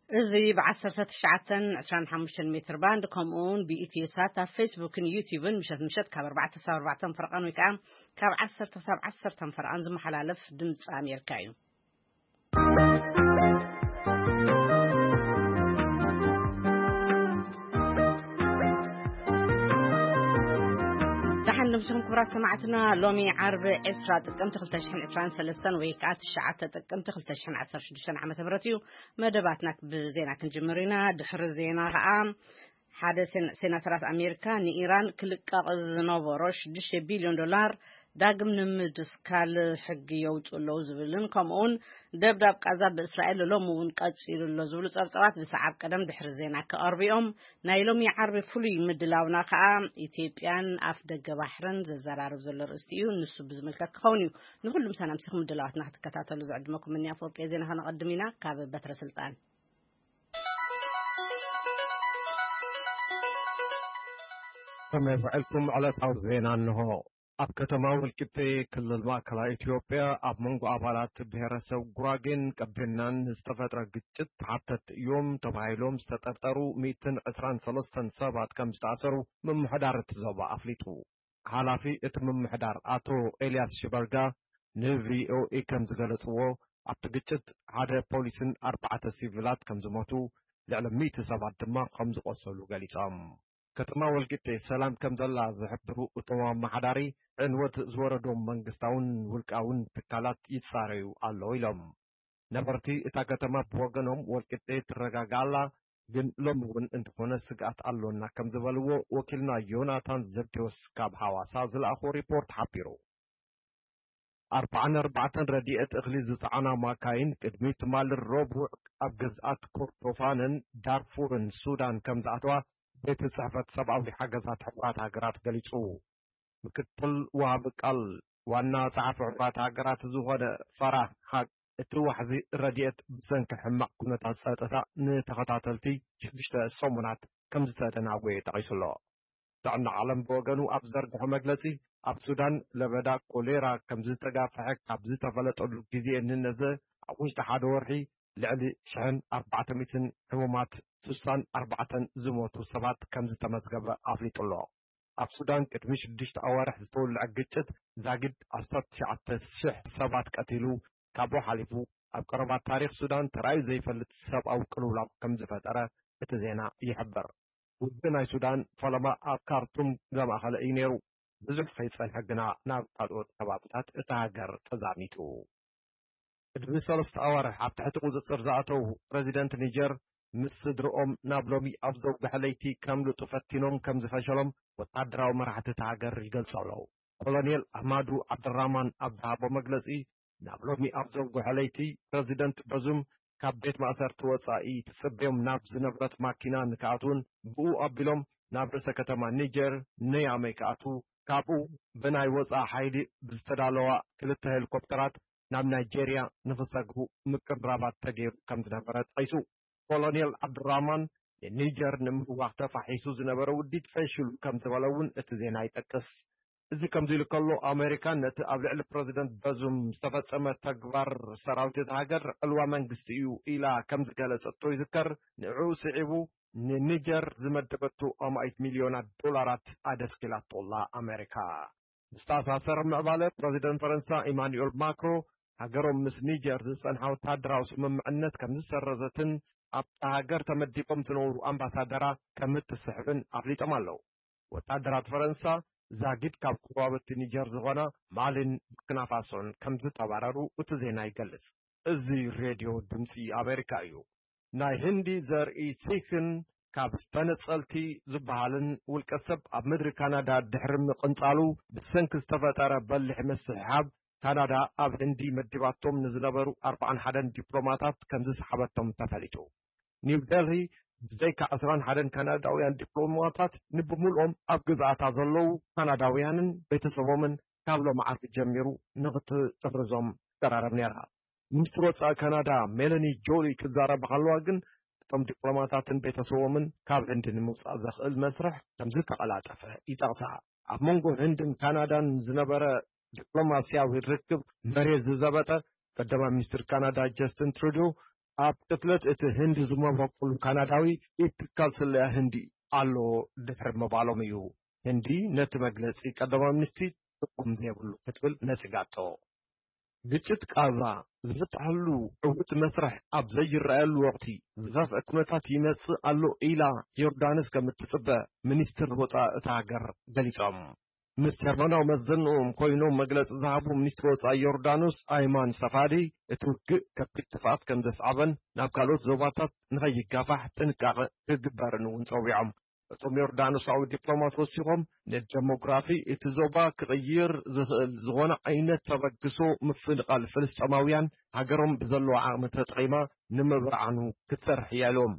እዚ ብ19 25 ሜትር ባንድ፣ ከምኡውን ብኢትዮ ሳት ኣብ ፌስቡክን ዩቲዩብን ምሸት ምሸት ካብ ኣርባዕተ ክሳብ ኣርባዕተ ፈረቓን ወይ ከዓ ካብ ዓሰርተ ክሳብ ዓሰርተ ፈረቓን ዝመሓላለፍ ድምፂ ኣሜሪካ እዩ። ደሓን ድምፅኹም ክቡራት ሰማዕትና። ሎሚ ዓርቢ ዕስራ ጥቅምቲ ክልተ ሽሕን ዕስራን ሰለስተን ወይ ከዓ ትሽዓተ ጥቅምቲ ክልተ ሽሕን ዓሰርተ ሽዱሽተን ዓመተ ምህረት እዩ። መደባትና ብዜና ክንጅምር ኢና። ድሕሪ ዜና ከዓ ሓደ ሴን-፣ ሴናተራት ኣሜሪካ ንኢራን ክልቀቕ ዝነበሮ ሽዱሽተ ቢልዮን ዶላር ዳግም ንምድስካል ሕጊ የውፅኡ ኣለዉ ዝብልን ከምኡውን ደብዳብ ቃዛ ብእስራኤል ሎሚ እውን ቀፂሉ ኣሎ ዝብሉ ፀብፀባት ብሰዓብ ቀደም ድሕሪ ዜና ክቐርቡ እዮም። ናይ ሎሚ ዓርቢ ፍሉይ ምድላውና ከዓ ኢትዮጵያን ኣፍ ደገ ባሕርን ዘዘራርብ ዘሎ ርእስቲ እዩ። ንሱ ብዝምልከት ክኸውን እዩ። ንኩሉ ምሳና ምሲኹም ምድላዋትና ክትከታተሉ ዝዕድመኩም እኒ ኣፈወርቂ ዜና ከነቐድም ኢና። ካብ በትረ ስልጣን ከመይ ውዕልኩም? ዕለታዊ ዜና እንሆ። ኣብ ከተማ ወልቂጤ ክልል ማእከላይ ኢትዮጵያ ኣብ መንጎ ኣባላት ብሔረሰብ ጉራጌን ቀቤናን ዝተፈጥረ ግጭት ተሓተትቲ እዮም ተባሂሎም ዝተጠርጠሩ ሚእትን ዕስራን ሰለስተን ሰባት ከም ዝተኣሰሩ ምምሕዳር እቲ ዞባ ኣፍሊጡ። ሓላፊ እቲ ምምሕዳር ኣቶ ኤልያስ ሽበርጋ ንቪኦኤ ከም ዝገለጽዎ፣ ኣብቲ ግጭት ሓደ ፖሊስን ኣርባዕተ ሲቪላት ከም ዝሞቱ፣ ልዕሊ ሚእቲ ሰባት ድማ ከም ዝቖሰሉ ገሊጾም። ከተማ ወልቂጤ ሰላም ከም ዘላ ዝሕብሩ እቶም ኣመሓዳሪ፣ ዕንወት ዝወረዶም መንግስታውን ውልቃውን ትካላት ይጻረዩ ኣለዉ ኢሎም። ነበርቲ እታ ከተማ ብወገኖም፣ ወልቂጤ ትረጋጋእ ኣላ፣ ግን ሎሚ እውን እንተኾነ ስግኣት ኣሎና ከም ዝበልዎ ወኪልና ዮናታን ዘብዴዎስ ካብ ሃዋሳ ዝለኣኾ ሪፖርት ሓቢሩ። ኣርባዓን ኣርባዕተን ረድኤት እኽሊ ዝጸዓና ማካይን ቅድሚ ትማሊ ረቡዕ ኣብ ግዝኣት ኮርዶፋንን ዳርፉርን ሱዳን ከም ዝኣተዋ ቤት ጽሕፈት ሰብኣዊ ሓገዛት ሕቡራት ሃገራት ገሊጹ። ምክትል ወሃቢ ቃል ዋና ጸሓፊ ሕቡራት ሃገራት ዝኾነ ፈራህ ሃቅ፣ እቲ ዋሕዚ ረድኤት ብሰንኪ ሕማቕ ኩነታት ጸጥታ ንተኸታተልቲ ሽዱሽተ ሰሙናት ከም ዝተደናጎየ ጠቒሱ ኣሎ። ጥዕና ዓለም ብወገኑ ኣብ ዘርግሖ መግለጺ፣ ኣብ ሱዳን ለበዳ ኮሌራ ከም ዝተጋፍሐ ካብ ዝተፈለጠሉ ግዜ እንነዘ ኣብ ውሽጢ ሓደ ወርሒ ልዕሊ ሽሕን ኣርባዕተ ሚእትን ሕሙማት፣ ስሳን ኣርባዕተን ዝሞቱ ሰባት ከም ዝተመዝገበ ኣፍሊጡ ኣሎ። ኣብ ሱዳን ቅድሚ ሽዱሽተ ኣዋርሕ ዝተወልዐ ግጭት ዛጊድ ዓሰርተ ትሽዓተ ሽሕ ሰባት ቀቲሉ፣ ካብኡ ሓሊፉ ኣብ ቀረባ ታሪኽ ሱዳን ተራእዩ ዘይፈልጥ ሰብኣዊ ቅልውላው ከም ዝፈጠረ እቲ ዜና ይሕብር። ውግእ ናይ ሱዳን ፈለማ ኣብ ካርቱም ዘማእኸለ እዩ ነይሩ። ብዙሕ ከይጸንሐ ግና ናብ ካልኦት ከባብታት እታ ሃገር ተዛሚቱ። ቅድሚ ሰለስተ ኣዋርሕ ኣብ ትሕቲ ቁጽጽር ዝኣተዉ ፕረዚደንት ኒጀር ምስ ስድርኦም ናብ ሎሚ ኣብ ዘውግሐ ለይቲ ከምልጡ ፈቲኖም ከም ዝፈሸሎም ወታደራዊ መራሕቲ እታ ሃገር ይገልጹ ኣለዉ። ኮሎኔል ኣህማዱ ዓብደራማን ኣብ ዝሃቦ መግለጺ፣ ናብ ሎሚ ኣብ ዘውግሐ ለይቲ ፕረዚደንት በዙም ካብ ቤት ማእሰርቲ ወጻኢ ትጽበዮም ናብ ዝነብረት ማኪና ንክኣትዉን ብኡ ኣቢሎም ናብ ርእሰ ከተማ ኒጀር ነያመይ ክኣትዉ፣ ካብኡ ብናይ ወጻኢ ሓይሊ ብዝተዳለዋ ክልተ ሄሊኮፕተራት ናብ ናይጄርያ ንኽሰግሩ ምቅርራባት ተገይሩ ከም ዝነበረ ጠቒሱ። ኮሎኔል ዓብዱራህማን ንኒጀር ንምህዋኽ ተፋሒሱ ዝነበረ ውዲት ፈሺሉ ከም ዝበለ እውን እቲ ዜና ይጠቅስ። እዚ ከምዚ ኢሉ ከሎ፣ ኣሜሪካ ነቲ ኣብ ልዕሊ ፕረዚደንት በዙም ዝተፈጸመ ተግባር ሰራዊት እታ ሃገር ዕልዋ መንግስቲ እዩ ኢላ ከም ዝገለጸቶ ይዝከር። ንዕኡ ስዒቡ ንኒጀር ዝመደበቶ ኣማኢት ሚልዮናት ዶላራት ኣደስኪላቶ ኣላ ኣሜሪካ። ብዝተኣሳሰር ምዕባለ፣ ፕረዚደንት ፈረንሳ ኢማኑኤል ማክሮ ሃገሮም ምስ ኒጀር ዝጸንሓ ወታደራዊ ስምምዕነት ከም ዝሰረዘትን ኣብታ ሃገር ተመዲቦም ዝነበሩ ኣምባሳደራ ከም እትስሕብን ኣፍሊጦም ኣለዉ። ወታደራት ፈረንሳ ዛጊድ ካብ ጎረባብቲ ኒጀር ዝኾና ማሊን ቡርኪና ፋሶን ከም ዝተባረሩ እቲ ዜና ይገልጽ። እዚ ሬድዮ ድምጺ ኣሜሪካ እዩ። ናይ ህንዲ ዘርኢ ሲክን ካብ ዝተነጸልቲ ዝበሃልን ውልቀ ሰብ ኣብ ምድሪ ካናዳ ድሕሪ ምቕንጻሉ ብሰንኪ ዝተፈጠረ በሊሕ ምስሕሓብ፣ ካናዳ ኣብ ህንዲ መዲባቶም ንዝነበሩ ኣርባዓን ሓደን ዲፕሎማታት ከም ዝሰሓበቶም ተፈሊጡ። ኒው ደልሂ ብዘይካ ዕስራን ሓደን ካናዳውያን ዲፕሎማታት ንብምልኦም ኣብ ግዝኣታ ዘለዉ ካናዳውያንን ቤተሰቦምን ካብ ሎም ዓርቢ ጀሚሩ ንኽትጥርዞም ትቀራረብ ነይራ። ሚኒስትር ወጻኢ ካናዳ ሜለኒ ጆሊ ክዛረባ ከለዋ ግን፣ እቶም ዲፕሎማታትን ቤተሰቦምን ካብ ህንዲ ንምውጻእ ዘኽእል መስርሕ ከም ዝተቐላጠፈ ይጠቕሳ። ኣብ መንጎ ህንድን ካናዳን ዝነበረ ዲፕሎማስያዊ ርክብ መሬት ዝዘበጠ ቀዳማይ ሚኒስትር ካናዳ ጀስትን ትሩዶ፣ ኣብ ቅትለት እቲ ህንዲ ዝመበቁሉ ካናዳዊ ኢድ ትካል ስለያ ህንዲ ኣሎ ድሕሪ ምባሎም እዩ ህንዲ ነቲ መግለጺ ቀዳማይ ሚኒስትሪ ትርጉም ዘይብሉ ክትብል ነጺጋቶ። ግጭት ቃዛ ዝፍትሐሉ ዕዉት መስርሕ ኣብ ዘይረኣየሉ ወቕቲ ዝኸፍአ ኩነታት ይመጽእ ኣሎ ኢላ ዮርዳኖስ ከም እትጽበ ሚኒስትር ወጻኢ እታ ሃገር ገሊጾም። ምስ ጀርመናዊ መዘንኦም ኮይኖም መግለጺ ዝሃቡ ሚኒስትር ወጻኢ ዮርዳኖስ ኣይማን ሰፋዲ፣ እቲ ውግእ ከቢድ ጥፍኣት ከም ዘስዓበን ናብ ካልኦት ዞባታት ንኸይጋፋሕ ጥንቃቐ ክግበርን እውን ጸዊዖም። እቶም ዮርዳኖሳዊ ዲፕሎማት ወሲኾም፣ ንደሞግራፊ እቲ ዞባ ክቕይር ዝኽእል ዝኾነ ዓይነት ተበግሶ ምፍንቓል ፍልስጤማውያን ሃገሮም ብዘለዋ ዓቕሚ ተጠቒማ ንምብርዓኑ ክትሰርሕ እያ ኢሎም።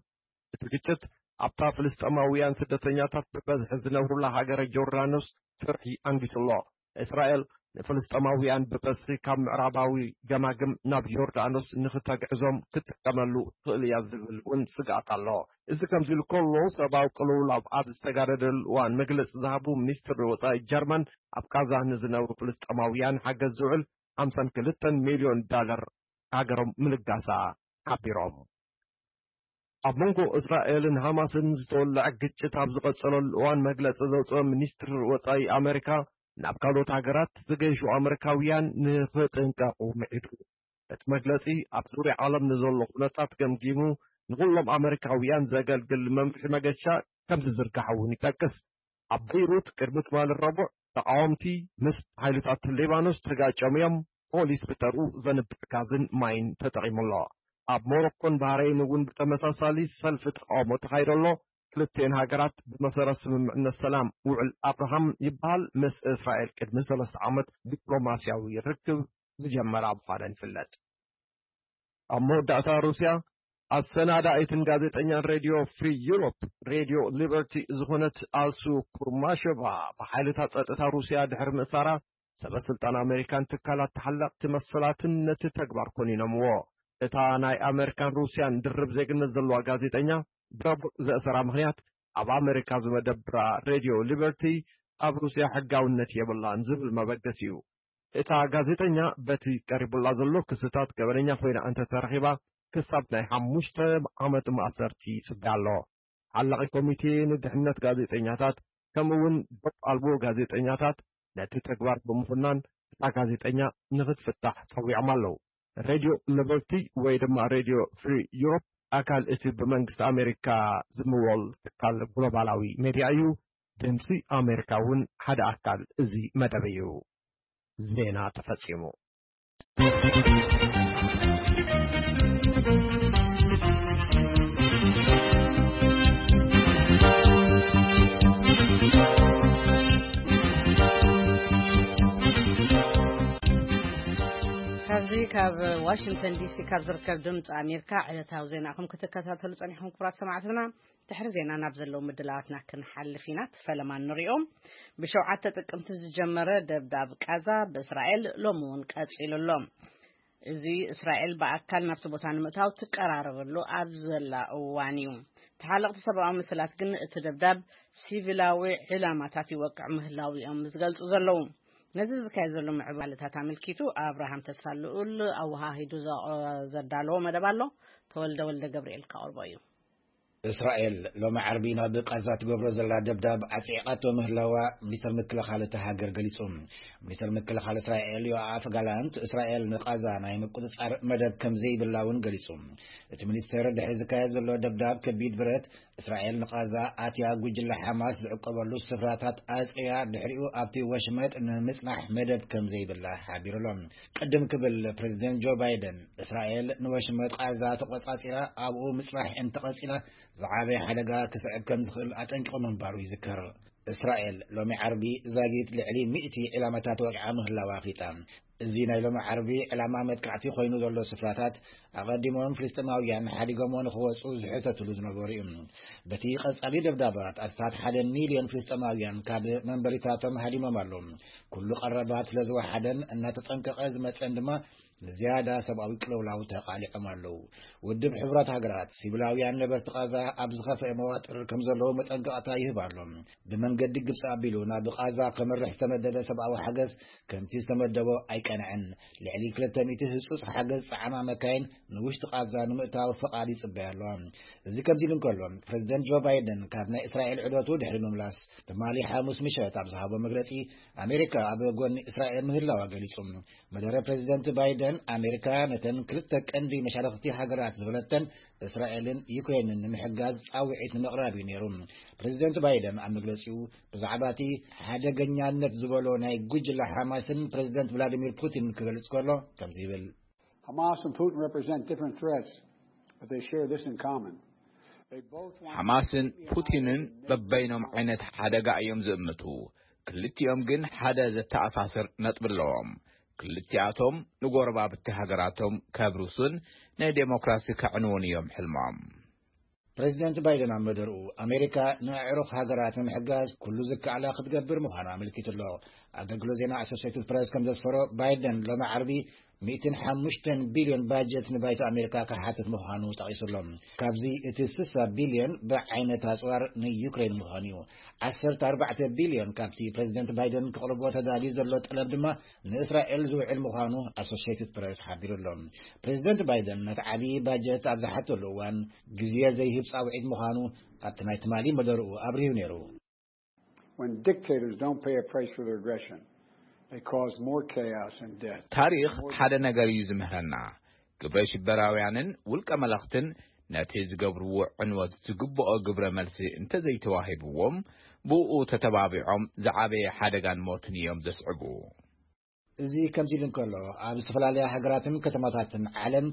እቲ ግጭት ኣብታ ፍልስጤማውያን ስደተኛታት ብበዝሒ ዝነብሩላ ሃገረ ዮርዳኖስ ፍርሒ ኣንጊሱ ኣሎ። እስራኤል ንፍልስጤማውያን ብበዝሒ ካብ ምዕራባዊ ገማግም ናብ ዮርዳኖስ ንኽተግዕዞም ክትጥቀመሉ ትኽእል እያ ዝብል እውን ስግኣት ኣሎ። እዚ ከምዚ ኢሉ ከሎ፣ ሰብኣዊ ቅልውላው ኣብ ዝተጋደደሉ እዋን መግለጺ ዝሃቡ ሚኒስትር ወጻኢ ጀርመን፣ ኣብ ቃዛ ንዝነብሩ ፍልስጤማውያን ሓገዝ ዝውዕል ሓምሳን ክልተን ሚልዮን ዳለር ሃገሮም ምልጋሳ ሓቢሮም። ኣብ መንጎ እስራኤልን ሃማስን ዝተወለዐ ግጭት ኣብ ዝቐጸለሉ እዋን መግለጺ ዘውጽአ ሚኒስትር ወጻኢ ኣመሪካ፣ ናብ ካልኦት ሃገራት ዝገይሹ ኣመሪካውያን ንኽጥንቀቑ ምዒዱ። እቲ መግለጺ ኣብ ዙርያ ዓለም ንዘሎ ኩነታት ገምጊሙ ንኹሎም ኣመሪካውያን ዘገልግል መምርሒ መገሻ ከም ዝዝርጋሕ እውን ይጠቅስ። ኣብ በይሩት ቅድሚ ትማሊ ረቡዕ ተቃወምቲ ምስ ሓይልታት ሊባኖስ ተጋጨሙ እዮም። ፖሊስ ብተርኡ ዘንብዕ ጋዝን ማይን ተጠቒሙ ኣሎ። ኣብ ሞሮኮን ባህረይን እውን ብተመሳሳሊ ሰልፊ ተቃውሞ ተኻይዶ ኣሎ። ክልቲኤን ሃገራት ብመሰረት ስምምዕነት ሰላም ውዕል ኣብርሃም ይበሃል ምስ እስራኤል ቅድሚ ሰለስተ ዓመት ዲፕሎማስያዊ ርክብ ዝጀመራ ምዃነን ይፍለጥ። ኣብ መወዳእታ ሩስያ ኣሰናዳኢትን ጋዜጠኛን ሬድዮ ፍሪ ዩሮፕ ሬድዮ ሊበርቲ ዝኾነት ኣልሱ ኩርማሸቫ ብሓይልታት ጸጥታ ሩስያ ድሕሪ ምእሳራ ሰበ ስልጣን ኣመሪካን ትካላት ተሓለቕቲ መሰላትን ነቲ ተግባር ኮኒኖምዎ። እታ ናይ ኣመሪካን ሩስያን ድርብ ዜግነት ዘለዋ ጋዜጠኛ ብረቡዕ ዘእሰራ ምኽንያት ኣብ ኣመሪካ ዝመደብራ ሬድዮ ሊበርቲ ኣብ ሩስያ ሕጋውነት የብላን ዝብል መበገሲ እዩ። እታ ጋዜጠኛ በቲ ቀሪቡላ ዘሎ ክስታት ገበነኛ ኮይና እንተተረኺባ ክሳብ ናይ ሓሙሽተ ዓመት ማእሰርቲ ይጽበያ ኣሎ። ሓላቒ ኮሚቴ ንድሕነት ጋዜጠኛታት ከምኡ እውን ዶብ ኣልቦ ጋዜጠኛታት ነቲ ተግባር ብምኹናን እታ ጋዜጠኛ ንኽትፍታሕ ጸዊዖም ኣለዉ። ሬድዮ ሊበርቲ ወይ ድማ ሬድዮ ፍሪ ዩሮፕ ኣካል እቲ ብመንግስቲ ኣሜሪካ ዝምወል ትካል ግሎባላዊ ሜድያ እዩ። ድምፂ ኣሜሪካ እውን ሓደ ኣካል እዚ መደብ እዩ። ዜና ተፈጺሙ። ካብዚ ካብ ዋሽንግተን ዲሲ ካብ ዝርከብ ድምፂ ኣሜሪካ ዕለታዊ ዜናኹም ክትከታተሉ ጸኒሕኩም ክቡራት ሰማዕትና፣ ድሕሪ ዜና ናብ ዘለዉ ምድላዋትና ክንሓልፍ ኢና። እቲ ፈለማ ንሪኦ። ብሸውዓተ ጥቅምቲ ዝጀመረ ደብዳብ ቃዛ ብእስራኤል ሎሚ እውን ቀጺሉ ኣሎ። እዚ እስራኤል ብኣካል ናብቲ ቦታ ንምእታው ትቀራረበሉ ኣብ ዘላ እዋን እዩ። ተሓለቕቲ ሰብኣዊ መሰላት ግን እቲ ደብዳብ ሲቪላዊ ዕላማታት ይወቅዕ ምህላው እዮም ዝገልጹ ዘለዉ። ነዚ ዝካየድ ዘሎ ምዕባለታት ኣመልኪቱ ኣብርሃም ተስፋ ልኡል ኣወሃሂዱ ዘ-፣ ዘዳለዎ መደብ ኣሎ። ተወልደ ወልደ ገብርኤል ከቕርቦ እዩ። እስራኤል ሎሚ ዓርቢ ናብ ቃዛ ትገብሮ ዘላ ደብዳብ ኣጽዒቓቶ ምህላዋ ሚኒስተር ምክልኻል እታ ሃገር ገሊጹ። ሚኒስተር ምክልኻል እስራኤል ዮኣፍ ጋላንት እስራኤል ንቃዛ ናይ ምቁጽጻር መደብ ከም ዘይብላ እውን ገሊጹ። እቲ ሚኒስተር ድሕሪ ዝካየድ ዘሎ ደብዳብ ከቢድ ብረት እስራኤል ንቃዛ ኣትያ ጉጅለ ሓማስ ዝዕቀበሉ ስፍራታት ኣጽርያ ድሕሪኡ ኣብቲ ወሽመጥ ንምጽናሕ መደብ ከም ዘይብላ ሓቢሩ ኣሎ። ቅድም ክብል ፕሬዚደንት ጆ ባይደን እስራኤል ንወሽመጥ ቃዛ ተቆጻጺራ ኣብኡ ምጽናሕ እንተቐጺላ ዝዓበየ ሓደጋ ክስዕብ ከም ዝኽእል ኣጠንቂቑ ምንባሩ ይዝከር። እስራኤል ሎሚ ዓርቢ ዛጊት ልዕሊ ሚእቲ ዕላማታት ወቂዓ ምህላዋ ኣፍሊጣ። እዚ ናይ ሎሚ ዓርቢ ዕላማ መጥቃዕቲ ኮይኑ ዘሎ ስፍራታት ኣቐዲሞም ፍልስጤማውያን ሓዲጎሞ ንኽወጹ ዝሕተትሉ ዝነበሩ እዩ። በቲ ቀጻሊ ደብዳባት ኣስታት ሓደ ሚልዮን ፍልስጤማውያን ካብ መንበሪታቶም ሃዲሞም ኣለዉ። ኩሉ ቀረባት ስለ ዝወሓደን እናተጠንቀቐ ዝመጸን ድማ ንዝያዳ ሰብኣዊ ቅልውላው ተቓሊዖም ኣለዉ። ውድብ ሕቡራት ሃገራት፣ ሲቪላውያን ነበርቲ ቓዛ ኣብ ዝኸፍአ መዋጥር ከም ዘለዉ መጠንቀቕታ ይህብ ኣሎ። ብመንገዲ ግብጺ ኣቢሉ ናብ ቓዛ ከመርሕ ዝተመደበ ሰብኣዊ ሓገዝ ከምቲ ዝተመደቦ ኣይቀንዐን። ልዕሊ ክልተ ሚእቲ ህጹጽ ሓገዝ ጸዓማ መካይን ንውሽጢ ቓዛ ንምእታው ፍቓድ ይጽበያ ኣለዋ። እዚ ከምዚ ኢሉ እንከሎ፣ ፕረዚደንት ጆ ባይደን ካብ ናይ እስራኤል ዑደቱ ድሕሪ ምምላስ፣ ትማሊ ሓሙስ ምሸት ኣብ ዝሃቦ መግለጺ፣ ኣሜሪካ ኣብ ጎኒ እስራኤል ምህላዋ ገሊጹ። መደረ ፕረዚደንት ባይደን፣ ኣሜሪካ ነተን ክልተ ቀንዲ መሻርኽቲ ሃገራት ዝበለተን እስራኤልን ዩክሬንን ንምሕጋዝ ጻውዒት ንምቕራብ እዩ ነይሩ። ፕረዚደንት ባይደን ኣብ መግለጺኡ፣ ብዛዕባ እቲ ሓደገኛነት ዝበሎ ናይ ጉጅለ ሓማስን ፕረዚደንት ቭላዲሚር ፑቲን ክገልጽ ከሎ ከምዚ ይብል። Hamas and Putin represent different threats, but they share this in common. They both want ሓማስን ፑቲንን በበይኖም ዓይነት ሓደጋ እዮም ዝእምቱ። ክልቲኦም ግን ሓደ ዘተኣሳስር ነጥቢ ኣለዎም። ክልቲኣቶም ንጎረባብቲ ሃገራቶም ከብርሱን ንዴሞክራሲ ከዕንውን እዮም ሕልሞም። ፕረዚደንት ባይደን ኣብ መደርኡ፣ ኣሜሪካ ንኣዕሩኽ ሃገራት ንምሕጋዝ ኩሉ ዝከኣላ ክትገብር ምዃኑ ኣመልኪቱ ኣሎ። ኣገልግሎት ዜና ኣሶሴትድ ፕረስ ከም ዘስፈሮ፣ ባይደን ሎሚ ዓርቢ ሚእትን ሓሙሽተን ቢልዮን ባጀት ንባይቶ ኣሜሪካ ክሓትት ምዃኑ ጠቒሱ ኣሎ። ካብዚ እቲ ስሳ ቢልዮን ብዓይነት ኣጽዋር ንዩክሬን ምዃኑ እዩ። ዓሰርተ ኣርባዕተ ቢልዮን ካብቲ ፕረዚደንት ባይደን ክቕርቦ ተዳልዩ ዘሎ ጠለብ ድማ ንእስራኤል ዝውዕል ምዃኑ ኣሶሴትድ ፕረስ ሓቢሩ ኣሎ። ፕረዚደንት ባይደን ነቲ ዓብዪ ባጀት ኣብ ዝሓተሉ እዋን ግዜ ዘይህብ ጻውዒት ምዃኑ ኣብቲ ናይ ትማሊ መደርኡ ኣብሪሁ ነይሩ። When dictators don't pay a price for their aggression, they cause more chaos and death. ታሪኽ ሓደ ነገር እዩ ዝምህረና። ግብረ ሽበራውያንን ውልቀ መለኽትን ነቲ ዝገብርዎ ዕንወት ዝግብኦ ግብረ መልሲ እንተዘይተዋሂብዎም፣ ብኡ ተተባቢዖም ዝዓበየ ሓደጋን ሞትን እዮም ዘስዕቡ። እዚ ከምዚ ኢሉ እንከሎ፣ ኣብ ዝተፈላለያ ሃገራትን ከተማታትን ዓለም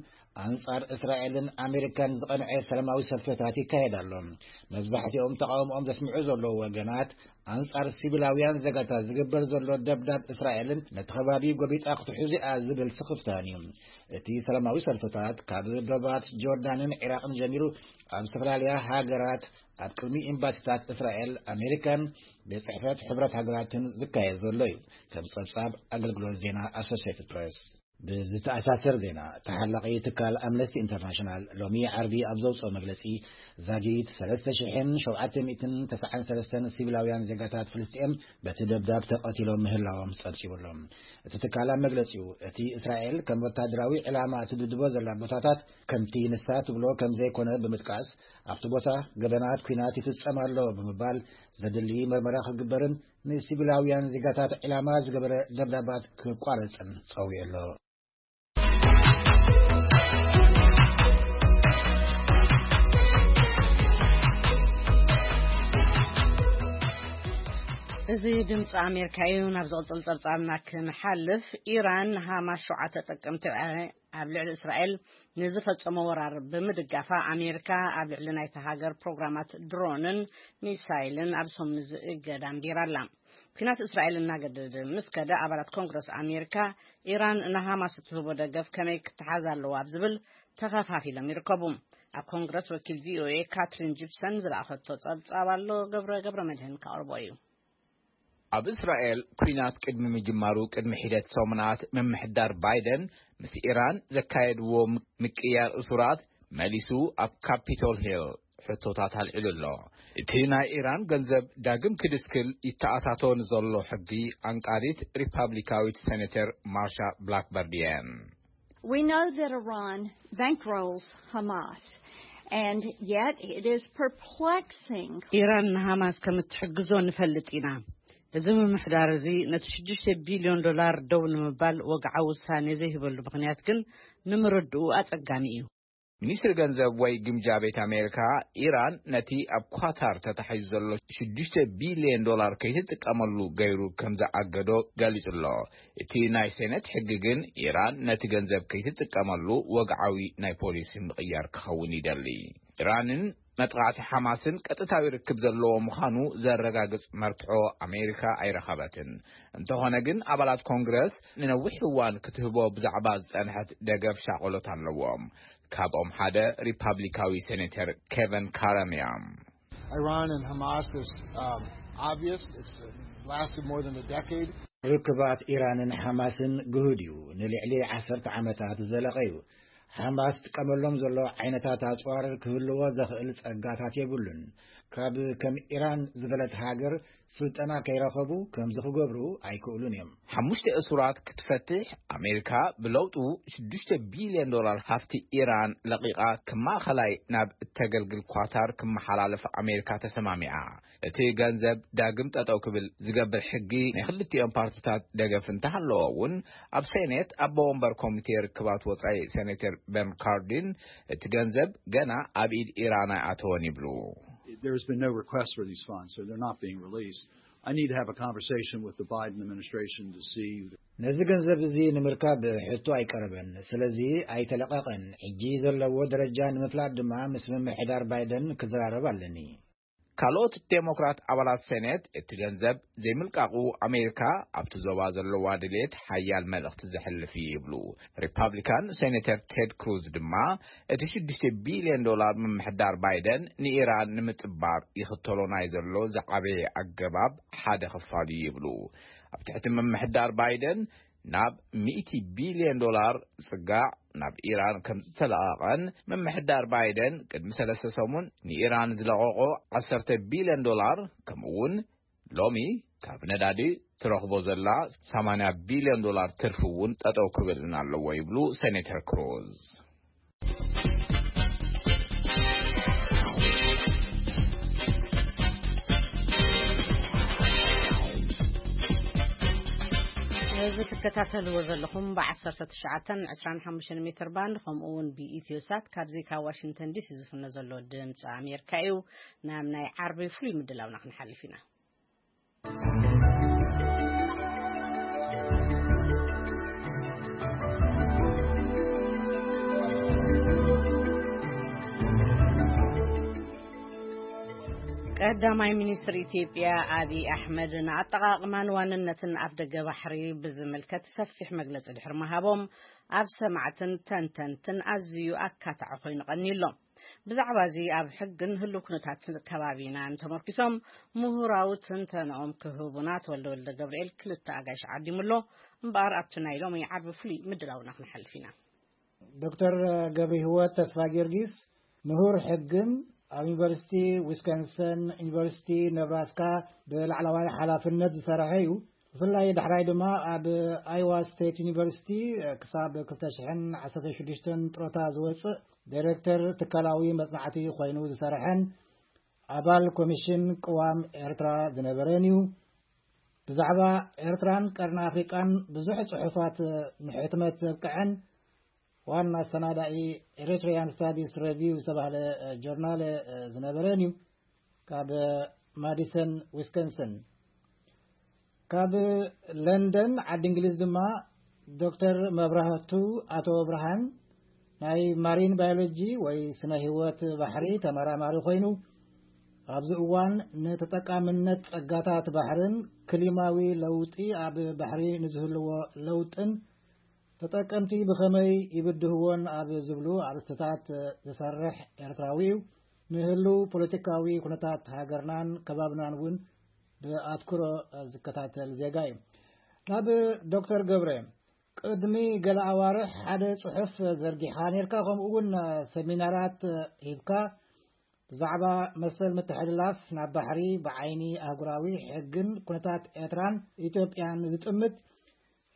ኣንጻር እስራኤልን ኣሜሪካን ዝቐንዐ ሰላማዊ ሰልፍታት ይካየድ ኣሎ። መብዛሕትኦም ተቓውሞኦም ዘስምዑ ዘለዉ ወገናት ኣንጻር ሲቪላውያን ዜጋታት ዝግበር ዘሎ ደብዳብ እስራኤልን ነቲ ከባቢ ጎቢጣ ክትሕዙ እያ ዝብል ስኽፍታን እዩ። እቲ ሰላማዊ ሰልፍታት ካብ ዶባት ጆርዳንን ዒራቕን ጀሚሩ ኣብ ዝተፈላለያ ሃገራት ኣብ ቅድሚ ኤምባሲታት እስራኤል፣ ኣሜሪካን ቤት ጽሕፈት ሕብረት ሃገራትን ዝካየድ ዘሎ እዩ፣ ከም ጸብጻብ ኣገልግሎት ዜና ኣሶሲየትድ ፕሬስ። ብዝተኣሳሰር ዜና፣ ተሓላቒ ትካል ኣምነስቲ ኢንተርናሽናል ሎሚ ዓርቢ ኣብ ዘውፅኦ መግለፂ፣ ዛጊት ሰለስተ ሽሕን ሸውዓተ ሚእትን ተስዓን ሰለስተን ሲቪላውያን ዜጋታት ፍልስጤም በቲ ደብዳብ ተቐቲሎም ምህላዎም ፀብፂቡ ኣሎ። እቲ ትካል ኣብ መግለፂኡ፣ እቲ እስራኤል ከም ወታደራዊ ዕላማ እትድብድቦ ዘላ ቦታታት ከምቲ ንሳ ትብሎ ከም ዘይኮነ ብምጥቃስ፣ ኣብቲ ቦታ ገበናት ኲናት ይፍጸም ኣሎ ብምባል፣ ዘድሊ መርመራ ክግበርን ንሲቪላውያን ዜጋታት ዕላማ ዝገበረ ደብዳባት ክቋረጽን ጸዊዑ ኣሎ። እዚ ድምፂ ኣሜሪካ እዩ። ናብ ዝቕጽል ጸብጻብና ክንሓልፍ፣ ኢራን ንሃማስ ሸውዓተ ጥቅምቲ ኣብ ልዕሊ እስራኤል ንዝፈጸሞ ወራር ብምድጋፋ፣ ኣሜሪካ ኣብ ልዕሊ ናይታ ሃገር ፕሮግራማት ድሮንን ሚሳይልን ኣብ ሰሙን እዚ እገዳ ኣንቢራ ኣላ። ኲናት እስራኤል እናገደደ ምስ ከደ፣ ኣባላት ኮንግረስ ኣሜሪካ፣ ኢራን ንሃማስ እትህቦ ደገፍ ከመይ ክትሓዝ ኣለዋ ኣብ ዝብል ተኸፋፊሎም ይርከቡ። ኣብ ኮንግረስ ወኪል ቪኦኤ ካትሪን ጂፕሰን ዝለኣኸቶ ጸብጻብ ኣሎ፣ ገብረ ገብረ መድህን ከቕርቦ እዩ። ኣብ እስራኤል ኲናት ቅድሚ ምጅማሩ ቅድሚ ሒደት ሰሙናት፣ ምምሕዳር ባይደን ምስ ኢራን ዘካየድዎ ምቅያር እሱራት መሊሱ ኣብ ካፒቶል ሂል ሕቶታት ኣልዒሉ ኣሎ። እቲ ናይ ኢራን ገንዘብ ዳግም ክድስክል ይተኣታቶ ንዘሎ ሕጊ፣ ኣንቃዲት ሪፓብሊካዊት ሴኔተር ማርሻ ብላክበርድ እየን። We know that Iran bankrolls Hamas, and yet it is perplexing. ኢራን ንሃማስ ከም እትሕግዞ ንፈልጥ ኢና። እዚ ምምሕዳር እዚ ነቲ ሽዱሽተ ቢልዮን ዶላር ደው ንምባል ወግዓዊ ውሳኔ ዘይህበሉ ምኽንያት ግን ንምርድኡ ኣጸጋሚ እዩ። ሚኒስትሪ ገንዘብ ወይ ግምጃ ቤት ኣሜሪካ፣ ኢራን ነቲ ኣብ ኳታር ተታሒዙ ዘሎ ሽዱሽተ ቢልዮን ዶላር ከይትጥቀመሉ ገይሩ ከም ዝኣገዶ ገሊጹ ኣሎ። እቲ ናይ ሴኔት ሕጊ ግን፣ ኢራን ነቲ ገንዘብ ከይትጥቀመሉ ወግዓዊ ናይ ፖሊሲ ምቕያር ክኸውን ይደሊ። ኢራንን መጥቓዕቲ ሓማስን ቀጥታዊ ርክብ ዘለዎ ምዃኑ ዘረጋግጽ መርትዖ ኣሜሪካ ኣይረኸበትን። እንተኾነ ግን፣ ኣባላት ኮንግረስ ንነዊሕ እዋን ክትህቦ ብዛዕባ ዝጸንሐት ደገፍ ሻቕሎት ኣለዎም። ካብኦም ሓደ ሪፓብሊካዊ ሴኔተር ኬቨን ካረም እዮም። Iran and Hamas is, um, obvious. It's, uh, lasted more than a decade. ርክባት ኢራንን ሓማስን ግሁድ እዩ። ንልዕሊ ዓሰርተ ዓመታት ዝዘለቐ እዩ። ሓማስ ዝጥቀመሎም ዘሎ ዓይነታት ኣጽዋር ክህልዎ ዘኽእል ጸጋታት የብሉን። ካብ ከም ኢራን ዝበለት ሃገር ስልጠና ከይረኸቡ ከምዚ ክገብሩ ኣይክእሉን እዮም። ሓሙሽተ እሱራት ክትፈትሕ ኣሜሪካ ብለውጡ ሽዱሽተ ቢልዮን ዶላር ሃፍቲ ኢራን ለቒቓ፣ ከም ማእኸላይ ናብ እተገልግል ኳታር ክመሓላለፍ ኣሜሪካ ተሰማሚዓ። እቲ ገንዘብ ዳግም ጠጠው ክብል ዝገብር ሕጊ ናይ ክልቲኦም ፓርቲታት ደገፍ እንተሃለዎ እውን፣ ኣብ ሴኔት ኣቦ ወንበር ኮሚቴ ርክባት ወጻኢ ሴኔተር በን ካርዲን፣ እቲ ገንዘብ ገና ኣብ ኢድ ኢራን ኣይኣተወን ይብሉ። There's been no request for these funds, so they're not being released. I need to have a conversation with the Biden administration to see. ነዚ ገንዘብ እዚ ንምርካብ ሕቶ ኣይቀረበን፣ ስለዚ ኣይተለቐቐን። ሕጂ ዘለዎ ደረጃ ንምፍላጥ ድማ ምስ ምምሕዳር ባይደን ክዘራረብ ኣለኒ። ካልኦት ዴሞክራት ኣባላት ሴኔት፣ እቲ ገንዘብ ዘይምልቃቑ ኣሜሪካ ኣብቲ ዞባ ዘለዋ ድሌት ሓያል መልእኽቲ ዘሕልፍ እዩ ይብሉ። ሪፓብሊካን ሴኔተር ቴድ ክሩዝ ድማ፣ እቲ ሽዱሽተ ቢልዮን ዶላር ምምሕዳር ባይደን ንኢራን ንምጽባር ይኽተሎ ናይ ዘሎ ዝዓበየ ኣገባብ ሓደ ክፋል እዩ ይብሉ። ኣብ ትሕቲ ምምሕዳር ባይደን ናብ ሚእቲ ቢልዮን ዶላር ዝጽጋዕ ናብ ኢራን ከም ዝተለቐቐን፣ ምምሕዳር ባይደን ቅድሚ ሰለስተ ሰሙን ንኢራን ዝለቐቖ ዓሰርተ ቢልዮን ዶላር፣ ከምኡ እውን ሎሚ ካብ ነዳዲ ትረኽቦ ዘላ ሰማንያ ቢልዮን ዶላር ትርፊ እውን ጠጠው ክብልን ኣለዎ ይብሉ ሴኔተር ክሩዝ። እዚ ትከታተልዎ ዘለኹም ብ19፣ 25 ሜትር ባንድ፣ ከምኡ እውን ብኢትዮ ሳት ካብዚ ካብ ዋሽንግተን ዲሲ ዝፍኖ ዘሎ ድምፂ ኣሜሪካ እዩ። ናብ ናይ ዓርቢ ፍሉይ ምድላውና ክንሓልፍ ኢና። ቀዳማይ ሚኒስትር ኢትዮጵያ ኣብይ ኣሕመድ ንኣጠቓቕማን ዋንነትን ኣፍደገ ባሕሪ ብዝምልከት ሰፊሕ መግለጺ ድሕሪ ምሃቦም፣ ኣብ ሰማዕትን ተንተንትን ኣዝዩ ኣካታዒ ኮይኑ ቀንዩ ኣሎ። ብዛዕባ እዚ ኣብ ሕግን ህሉው ኩነታት ከባቢናን ተመርኪሶም ምሁራዊ ትንተንኦም ክህቡና ተወልደ ወልደ ገብርኤል ክልተ ኣጋይሽ ዓዲሙ ኣሎ። እምበኣር ኣብቲ ናይ ሎሚ ዓርቢ ፍሉይ ምድላውና ክንሓልፍ ኢና። ዶክተር ገብረ ህይወት ተስፋ ጊዮርጊስ ምሁር ሕግን ኣብ ዩኒቨርሲቲ ዊስኮንሰን፣ ዩኒቨርሲቲ ነብራስካ ብላዕለዋይ ሓላፍነት ዝሰረሐ እዩ። ብፍላይ ዳሕራይ ድማ ኣብ ኣይዋ ስቴት ዩኒቨርሲቲ ክሳብ ክልተ ሽሕን ዓሰርተ ሽዱሽተን ጥሮታ ዝወፅእ ዳይሬክተር ትካላዊ መፅናዕቲ ኮይኑ ዝሰረሐን ኣባል ኮሚሽን ቅዋም ኤርትራ ዝነበረን እዩ። ብዛዕባ ኤርትራን ቀርኒ ኣፍሪቃን ብዙሕ ጽሑፋት ንሕትመት ዘብቅዐን ዋና ኣሰናዳኢ ኤሪትሪያን ስታዲስ ሬቪው ዝተባህለ ጆርናል ዝነበረን እዩ። ካብ ማዲሰን ዊስኮንሰን። ካብ ለንደን ዓዲ እንግሊዝ ድማ ዶክተር መብራህቱ ኣቶ ብርሃን ናይ ማሪን ባዮሎጂ ወይ ስነ ህይወት ባሕሪ ተመራማሪ ኮይኑ፣ ኣብዚ እዋን ንተጠቃምነት ጸጋታት ባሕርን ክሊማዊ ለውጢ ኣብ ባሕሪ ንዝህልዎ ለውጥን ተጠቀምቲ ብኸመይ ይብድህዎን ኣብ ዝብሉ ኣርእስትታት ዝሰርሕ ኤርትራዊ እዩ። ንህልው ፖለቲካዊ ኩነታት ሃገርናን ከባብናን እውን ብኣትኩሮ ዝከታተል ዜጋ እዩ። ናብ ዶክተር ገብረ፣ ቅድሚ ገለ ኣዋርሕ ሓደ ጽሑፍ ዘርጊሓ ነርካ፣ ከምኡ እውን ሰሚናራት ሂብካ፣ ብዛዕባ መሰል ምትሕልላፍ ናብ ባሕሪ ብዓይኒ ኣህጉራዊ ሕግን ኩነታት ኤርትራን ኢትዮጵያን ዝጥምት።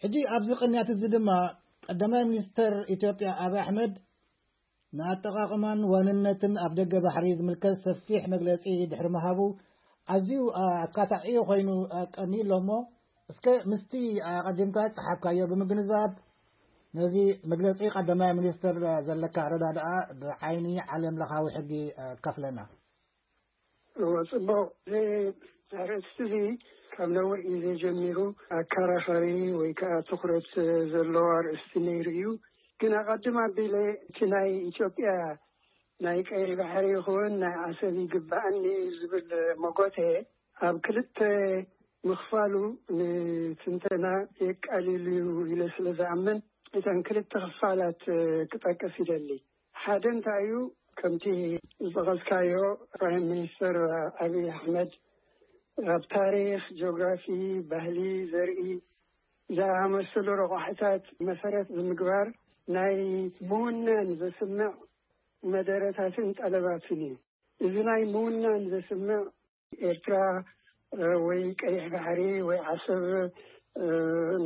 ሕጂ ኣብዚ ቅንያት እዚ ድማ ቀዳማይ ሚኒስተር ኢትዮጵያ ኣብይ ኣሕመድ ንኣጠቓቕማን ዋንነትን ኣብ ደገ ባሕሪ ዝምልከት ሰፊሕ መግለጺ ድሕሪ ምሃቡ ኣዝዩ ኣካታዒ ኮይኑ ቀንዩ ኣሎ። እሞ እስከ ምስቲ ኣቐዲምካ ዝጸሓፍካዮ ብምግንዛብ ነዚ መግለጺ ቀዳማይ ሚኒስተር ዘለካ ኣረዳድኣ ብዓይኒ ዓለም ለኻዊ ሕጊ ከፍለና። እዎ፣ ጽቡቕ። እዚ ኣርእስቲ እዚ ካብ ነዊሕ ግዜ ጀሚሩ ኣከራኻሪ ወይ ከዓ ትኹረት ዘለዎ ኣርእስቲ ነይሩ እዩ። ግን ኣቐድም ኣቢለ እቲ ናይ ኢትዮጵያ ናይ ቀይ ባሕሪ ይኹን ናይ ዓሰብ ይግባኣኒ እዩ ዝብል መጎተ ኣብ ክልተ ምኽፋሉ ንትንተና የቃልል እዩ ኢለ ስለ ዝኣምን እተን ክልተ ክፋላት ክጠቅስ ይደሊ። ሓደ እንታይ እዩ፣ ከምቲ ዝጠቐስካዮ ፕራይም ሚኒስተር ኣብይ ኣሕመድ ኣብ ታሪኽ፣ ጂኦግራፊ፣ ባህሊ፣ ዘርኢ ዝኣመሰሉ ረቋሕታት መሰረት ብምግባር ናይ ምውናን ዘስምዕ መደረታትን ጠለባትን እዩ። እዚ ናይ ምውናን ዘስምዕ ኤርትራ ወይ ቀይሕ ባሕሪ ወይ ዓሰብ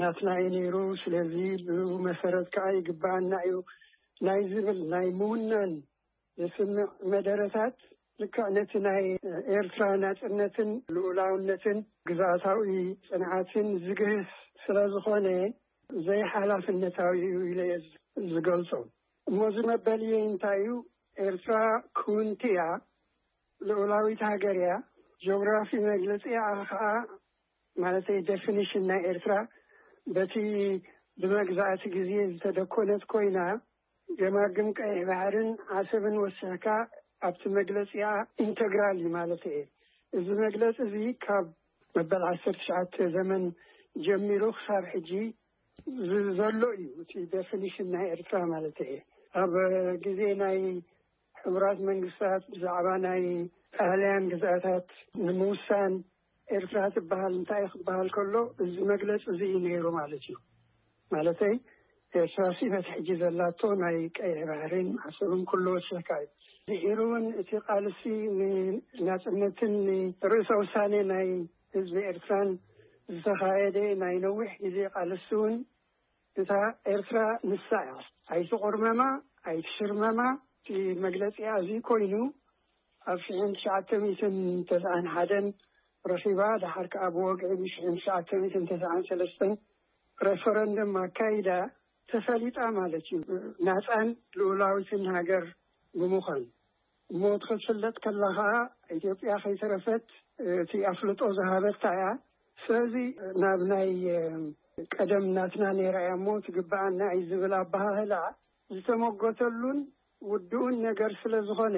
ናትና እዩ ነይሩ፣ ስለዚ ብኡ መሰረት ከዓ ይግባኣና እዩ ናይ ዝብል ናይ ምውናን ዘስምዕ መደረታት ልክዕ ነቲ ናይ ኤርትራ ናጽነትን ልኡላውነትን ግዝኣታዊ ጽንዓትን ዝግህስ ስለ ዝኾነ ዘይሓላፍነታዊ እዩ ኢለ እየ ዝገልጾ። እሞ እዚ መበልየ እንታይ እዩ? ኤርትራ ክውንቲ እያ፣ ልኡላዊት ሃገር እያ። ጂኦግራፊ መግለጺ እያ ከዓ ማለተይ ዴፊኒሽን ናይ ኤርትራ በቲ ብመግዛእቲ ግዜ ዝተደኮነት ኮይና ገማግም ቀይሕ ባሕርን ዓሰብን ወሲኽካ ኣብቲ መግለጺኣ ኢንተግራል እዩ ማለት እየ። እዚ መግለጺ እዚ ካብ መበል ዓሰርተ ትሽዓተ ዘመን ጀሚሩ ክሳብ ሕጂ ዘሎ እዩ እቲ ዴፊኒሽን ናይ ኤርትራ ማለት እየ። ኣብ ግዜ ናይ ሕቡራት መንግስታት ብዛዕባ ናይ ጣልያን ግዝኣታት ንምውሳን ኤርትራ ትበሃል እንታይ ክበሃል ከሎ እዚ መግለፂ እዚ እዩ ነይሩ ማለት እዩ። ማለተይ ኤርትራ ሲ በቲ ሕጂ ዘላቶ ናይ ቀይሕ ባሕሪን ዓሰብን ኩሉ ወሲኽካ እዩ። ድሒሩ እውን እቲ ቃልሲ ንናፅነትን ንርእሰ ውሳኔ ናይ ህዝቢ ኤርትራን ዝተኻየደ ናይ ነዊሕ ግዜ ቃልሲ እውን እታ ኤርትራ ንሳ እያ። ኣይትቑርመማ ኣይትሽርመማ። እቲ መግለፂ እዚ ኮይኑ ኣብ ሽሕን ትሽዓተ ሚእትን ተስዓን ሓደን ረኺባ፣ ድሓር ከዓ ብወግዒ ብሽሕን ትሽዓተ ሚእትን ተስዓን ሰለስተን ሬፈረንደም ኣካይዳ ተፈሊጣ ማለት እዩ። ናፃን ልኡላዊትን ሃገር ብምዃን እሞ ክትፍለጥ ከላ ከዓ ኢትዮጵያ ከይተረፈት እቲ ኣፍልጦ ዝሃበታ እያ። ስለዚ ናብ ናይ ቀደም ናትና ነይራ እያ እሞ ትግበኣና እዩ ዝብል ኣበሃህላ ዝተመጎተሉን ውድኡን ነገር ስለ ዝኾነ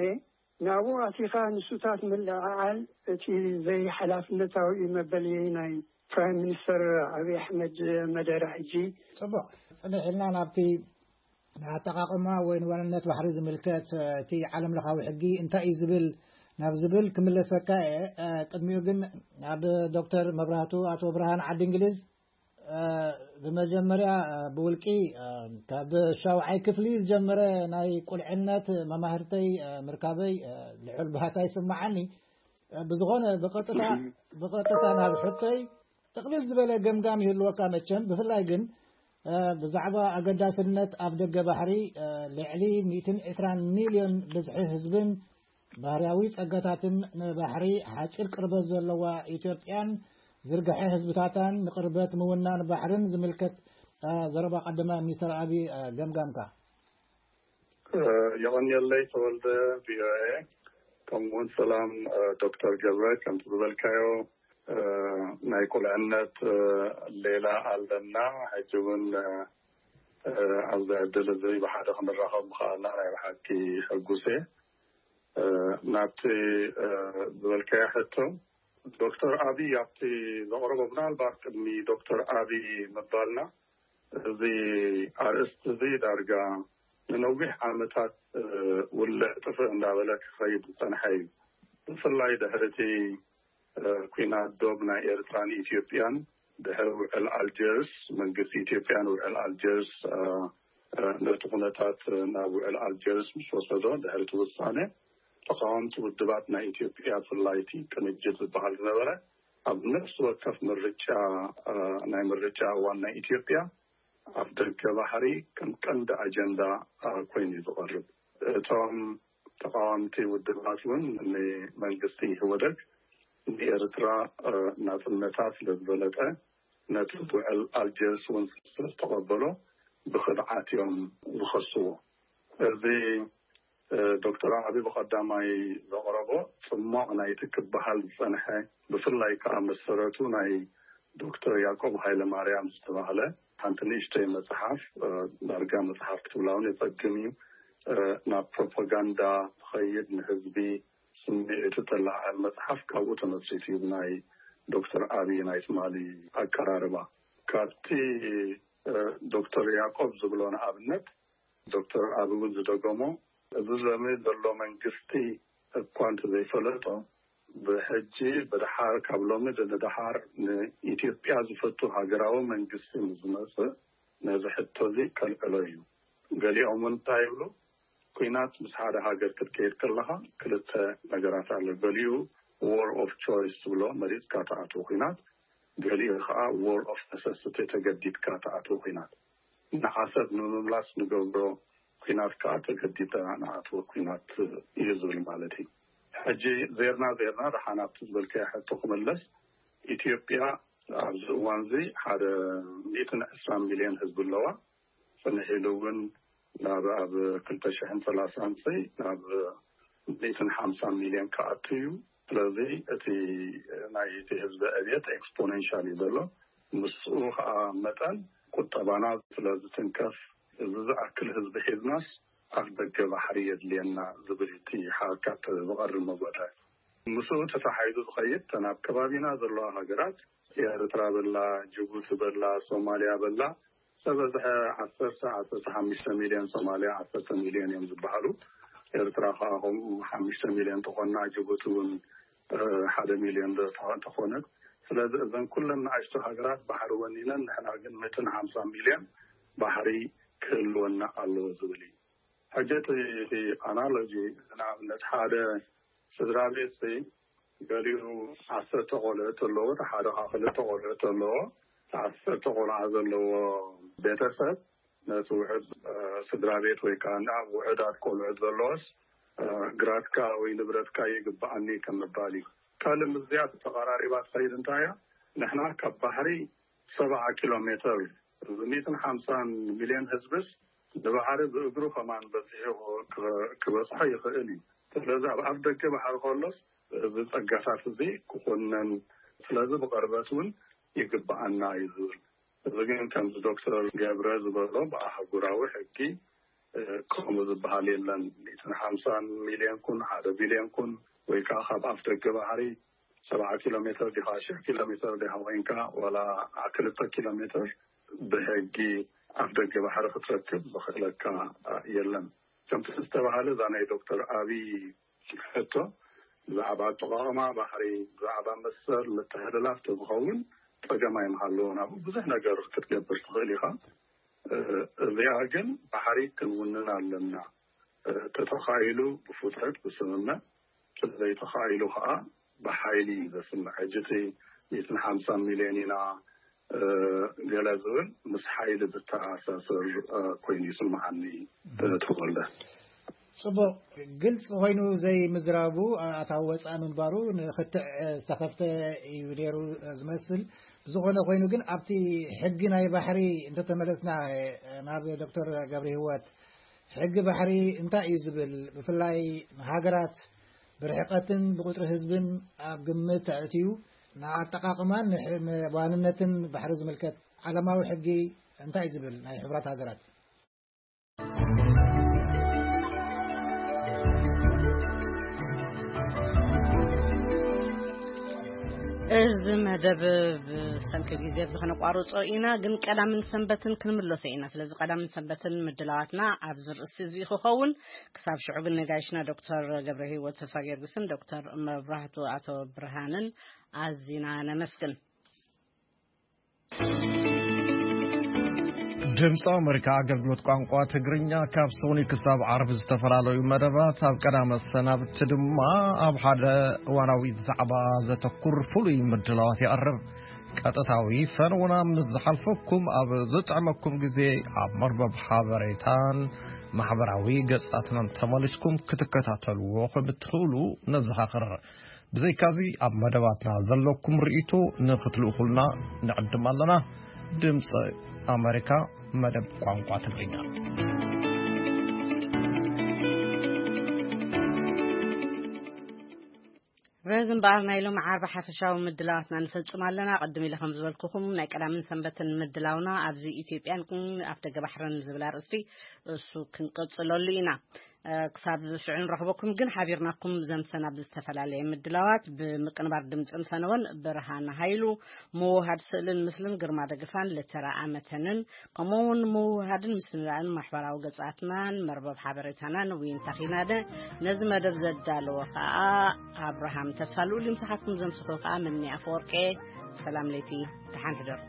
ናብኡ ኣቲኻ ንሱታት ምልዕዓል እቲ ዘይሓላፍነታዊ እዩ መበልየይ ናይ ፕራይም ሚኒስተር ኣብይ ኣሕመድ መደረ ሕጂ። ጽቡቕ፣ ጽንሕ ኢልና ናብቲ ንኣጠቓቕማ ወይ ንዋንነት ባሕሪ ዝምልከት እቲ ዓለም ለኻዊ ሕጊ እንታይ እዩ ዝብል ናብ ዝብል ክምለሰካ እየ። ቅድሚኡ ግን ኣብ ዶክተር መብራህቱ ኣቶ ብርሃን ዓዲ እንግሊዝ ብመጀመርያ ብውልቂ ካብ ሻውዓይ ክፍሊ ዝጀመረ ናይ ቁልዕነት መማህርተይ ምርካበይ ልዑል ባህታ ይስምዓኒ። ብዝኾነ ብቐጥታ ናብ ሕቶይ ጥቕልል ዝበለ ገምጋም ይህልወካ መቸም። ብፍላይ ግን ብዛዕባ ኣገዳስነት ኣብ ደገ ባሕሪ ልዕሊ ሚእትን ዕስራን ሚልዮን ብዝሒ ህዝብን ባህርያዊ ጸጋታትን ንባሕሪ ሓጺር ቅርበት ዘለዋ ኢትዮጵያን ዝርግሐ ህዝብታታን ንቅርበት ምውናን ባሕርን ዝምልከት ዘረባ ቀዳማይ ሚኒስተር ኣብይ ገምጋምካ። የቐንየለይ ተወልደ ቪኦኤ። ከምኡውን ሰላም ዶክተር ገብረ፣ ከምቲ ዝበልካዮ ናይ ቁልዕነት ሌላ ኣለና። ሕጂ እውን ኣብዚ ዕድል እዚ ብሓደ ክንራኸብ ምኽኣልና ናይ ብሓቂ ሕጉስ እየ። ናብቲ ዝበልካዮ ሕቶ ዶክተር ኣብይ ኣብቲ ዘቕረቦ፣ ምናልባት ቅድሚ ዶክተር ኣብይ ምባልና እዚ ኣርእስቲ እዚ ዳርጋ ንነዊሕ ዓመታት ውልዕ ጥፍእ እንዳበለ ክኸይድ ዝፀንሐ እዩ። ብፍላይ ድሕሪ እቲ ኲናት ዶብ ናይ ኤርትራን ኢትዮጵያን ድሕሪ ውዕል ኣልጀርስ፣ መንግስቲ ኢትዮጵያ ንውዕል ኣልጀርስ ነቲ ኩነታት ናብ ውዕል ኣልጀርስ ምስ ወሰዶ ድሕሪ እቲ ውሳነ ተቃወምቲ ውድባት ናይ ኢትዮጵያ ብፍላይ እቲ ቅንጅት ዝበሃል ዝነበረ ኣብ ነፍሲ ወከፍ ምርጫ ናይ ምርጫ እዋን ናይ ኢትዮጵያ ኣፍ ደገ ባሕሪ ከም ቀንዲ ኣጀንዳ ኮይኑ እዩ ዝቐርብ። እቶም ተቃወምቲ ውድባት እውን ንመንግስቲ ኢህወደግ ንኤርትራ ናጽነታ ስለ ዝበለጠ ነቲ ውዕል ኣልጀርስ እውን ስለ ዝተቐበሎ ብኽድዓት እዮም ዝኸስዎ። እዚ ዶክተር ዓቢ ብቐዳማይ ዘቕረቦ ጽሟቕ ናይቲ ክበሃል ዝጸንሐ ብፍላይ ከኣ መሰረቱ ናይ ዶክተር ያዕቆብ ሃይለማርያም ዝተባህለ ሓንቲ ንእሽተይ መጽሓፍ ዳርጋ መጽሓፍ ክትብላ እውን የጸግም እዩ። ናብ ፕሮፓጋንዳ ትኸይድ ንህዝቢ ስምዒቱ ተለዓዕል መጽሓፍ ካብኡ ተመስሪቱ እዩ ናይ ዶክተር ዓቢ ናይ ትማሊ ኣቀራርባ። ካብቲ ዶክተር ያዕቆብ ዝብሎ ንኣብነት ዶክተር ዓቢ እውን ዝደገሞ እዚ ሎሚ ዘሎ መንግስቲ እኳ እንተዘይፈለጦ ብሕጂ ብድሓር ካብ ሎሚ ንድሓር ንኢትዮጵያ ዝፈቱ ሃገራዊ መንግስቲ ንዝመጽእ ነዚ ሕቶ እዚ ከልዕሎ እዩ። ገሊኦም እውን እንታይ ይብሉ? ኩናት ምስ ሓደ ሃገር ክትከይድ ከለኻ ክልተ ነገራት ኣሎ። ገሊኡ war of choice ትብሎ፣ መሪጽካ ትኣትዎ ኩናት፣ ገሊኡ ከዓ war of necessity፣ ተገዲድካ ትኣትዎ ኩናት። ንዓሰብ ንምምላስ ንገብሮ ኩናት ከዓ ተገዲድና ንኣትዎ ኩናት እዩ ዝብል ማለት እዩ። ሕጂ ዜርና ዜርና ደሓን ኣብቲ ዝበልካዮ ሕቶ ክምለስ፣ ኢትዮጵያ ኣብዚ እዋን እዚ ሓደ ሚእትን ዕስራን ሚልዮን ህዝቢ ኣለዋ። ጽንሕ ኢሉ እውን ናብ ኣብ ክልተ ሽሕን ሰላሳን ሲ ናብ ሚእትን ሓምሳን ሚልዮን ክኣቱ እዩ። ስለዚ እቲ ናይ እቲ ህዝቢ ዕብየት ኤክስፖኔንሻል እዩ ዘሎ። ምስኡ ከዓ መጠን ቁጠባና ስለ ዝትንከፍ፣ እዚ ዝኣክል ህዝቢ ሒዝናስ ኣፍ ደገ ባሕሪ የድልየና ዝብል እቲ ሓካት ዝቐርብ መጎተ። ምስኡ ተተሓሒዙ ዝኸይድ፣ ተን ኣብ ከባቢና ዘለዋ ሃገራት፣ ኤርትራ በላ፣ ጅቡቲ በላ፣ ሶማልያ በላ፣ ሰበዝሐ ዓሰርተ፣ ዓሰርተ ሓሙሽተ ሚልዮን ሶማልያ፣ ዓሰርተ ሚልዮን እዮም ዝበሃሉ። ኤርትራ ከዓ ከምኡ ሓሙሽተ ሚልዮን ተኾና፣ ጅቡቲ እውን፣ እ፣ ሓደ ሚልዮን ዶ ተኾ-፣ ተኾነት። ስለዚ እዘን ኩለን ንኣሽቱ ሃገራት ባሕሪ ወኒነን፣ ንሕና ግን ሚእትን ሓምሳ ሚልዮን ባሕሪ ክህልወና ኣለዎ ዝብል እዩ። ሕጂ እቲ፣ እቲ ኣናሎጂ፣ ንኣብነት ሓደ ስድራ ቤት ሲ ገሊኡ ዓሰርተ ቆልዑት ኣለዎ፣ እቲ ሓደ ከዓ ክልተ ቆልዑት ኣለዎ። እቲ ዓሰርተ ቆልዓ ዘለዎ ቤተሰብ ነቲ ውሑድ፣ እ፣ ስድራ ቤት ወይ ከዓ ናብ ውሑዳት ቆልዑት ዘለዎስ፣ እ፣ ግራትካ ወይ ንብረትካ ይግብኣኒ ከም ምባል እዩ። ካልእ ምስዚኣ ተቐራሪባ ትኸይድ እንታይ እያ? ንሕና ካብ ባሕሪ ሰብዓ ኪሎ ሜትር፣ እዚ ሚእትን ሓምሳን ሚልዮን ህዝብስ ንባሕሪ ብእግሩ ከማን በጺሑ ክበጽሖ ይኽእል እዩ። ስለዚ ኣብ ኣፍ ደገ ባሕሪ ከሎስ እዚ ጸጋታት እዚ ክኹነን፣ ስለዚ ብቐርበት እውን ይግብኣና እዩ ዝብል። እዚ ግን ከምዚ ዶክተር ገብረ ዝበሎ ብኣህጉራዊ ሕጊ፣ እ፣ ከምኡ ዝበሃል የለን። ሚእትን ሓምሳን ሚልዮን ኩን፣ ሓደ ቢልዮን ኩን፣ ወይ ከዓ ካብ ኣፍ ደገ ባሕሪ ሰብዓ ኪሎ ሜትር ዲኻ፣ ሽሕ ኪሎ ሜትር ዲኻ ኮይንካ፣ ዋላ ክልተ ኪሎ ሜትር ብሕጊ ኣፍ ደገ ባሕሪ ክትረክብ ዝኽእለካ የለን። ከምቲ ዝተባሃለ፣ እዛ ናይ ዶክተር ኣብይ ሕቶ ብዛዕባ ኣጠቓቕማ ባሕሪ፣ ብዛዕባ መሰል ምትሕልላፍ ተዝኸውን ጸገም ኣይምሃለዎን። ኣብኡ ብዙሕ ነገር ክትገብር ትኽእል ኢኻ። እ፣ እዚኣ ግን ባሕሪ ክንውንን ኣለና። እ፣ ተተኻኢሉ ብፉትረት ብስምምዕ፣ ስለዘይተኻኢሉ ከዓ ብሓይሊ እዩ ዘስምዕ። ሕጂ እቲ ሚእትን ሓምሳን ሚልዮን ኢና፣ እ፣ ገለ ዝብል ምስ ሓይሊ ዝተኣሳሰር፣ እ፣ ኮይኑ ይስምዓኒ፣ እ፣ ተወልደ። ጽቡቕ፣ ግልጽ ኮይኑ ዘይምዝራቡ ኣታዊ ወጻኢ ምንባሩ ንኽትዕ ዝተኸፍተ እዩ ነይሩ ዝመስል። ብዝኾነ ኮይኑ ግን ኣብቲ ሕጊ ናይ ባሕሪ እንተተመለስና፣ ናብ ዶክተር ገብረ ህይወት፣ ሕጊ ባሕሪ እንታይ እዩ ዝብል? ብፍላይ ንሃገራት ብርሕቀትን ብቁጽሪ ህዝብን ኣብ ግምት ኣእትዩ ንኣጠቓቕማን ንሕ-፣ ንዋንነትን ባሕሪ ዝምልከት ዓለማዊ ሕጊ እንታይ እዩ ዝብል? ናይ ሕቡራት ሃገራት። እዚ መደብ ብሰንኪ ግዜ ኣብዚ ከነቋርጾ ኢና፣ ግን ቀዳምን ሰንበትን ክንምለሶ ኢና። ስለዚ ቀዳምን ሰንበትን ምድላዋትና ኣብዚ ርእሲ እዚ ክኸውን። ክሳብ ሽዑ ግን ነጋይሽና ዶክተር ገብረ ህይወት ተስፋ ጊዮርጊስን ዶክተር መብራህቱ ኣቶ ብርሃንን ኣዚና ነመስግን። ድምፂ ኣመሪካ ኣገልግሎት ቋንቋ ትግርኛ ካብ ሰኑይ ክሳብ ዓርቢ ዝተፈላለዩ መደባት፣ ኣብ ቀዳመ ሰናብቲ ድማ ኣብ ሓደ እዋናዊ ዛዕባ ዘተኩር ፍሉይ ምድላዋት ይቐርብ። ቀጥታዊ ፈነውና ምስ ዝሓልፈኩም፣ ኣብ ዝጥዕመኩም ግዜ ኣብ መርበብ ሓበሬታን ማሕበራዊ ገጻትናን ተመሊስኩም ክትከታተልዎ ከም እትኽእሉ ነዘኻኽር። ብዘይካዚ ኣብ መደባትና ዘለኩም ርእይቶ ንኽትልእኹልና ንዕድም ኣለና። ድምፂ ኣመሪካ፣ መደብ ቋንቋ ትግርኛ። በዚ እምበኣር ናይ ሎሚ ዓርቢ ሓፈሻዊ ምድላዋትና ንፈጽም ኣለና። ቅድም ኢለ ከም ዝበልኩኹም ናይ ቀዳምን ሰንበትን ምድላውና ኣብዚ ኢትዮጵያን ኣፍደገ ባሕርን ዝብል ኣርእስቲ እሱ ክንቅጽለሉ ኢና። ክሳብ ሽዑ ንረኽበኩም ግን ሓቢርናኩም ዘምሰና ብዝተፈላለየ ምድላዋት ብምቅንባር ድምፅን ፈነወን ብርሃን ሃይሉ፣ ምውሃድ ስእልን ምስልን ግርማ ደግፋን ለተራ ኣመተንን፣ ከምኡ እውን ምውሃድን ምስንዳእን ማሕበራዊ ገጻትናን መርበብ ሓበሬታናን ዊንታ ኺናደ፣ ነዚ መደብ ዘዳለወ ኸኣ ኣብርሃም ተስፋ ልኡል። ምሳኻትኩም ዘምስኹ ኸኣ ምኒ ኣፈወርቄ። ሰላም ለይቲ፣ ደሓን ሕደሩ።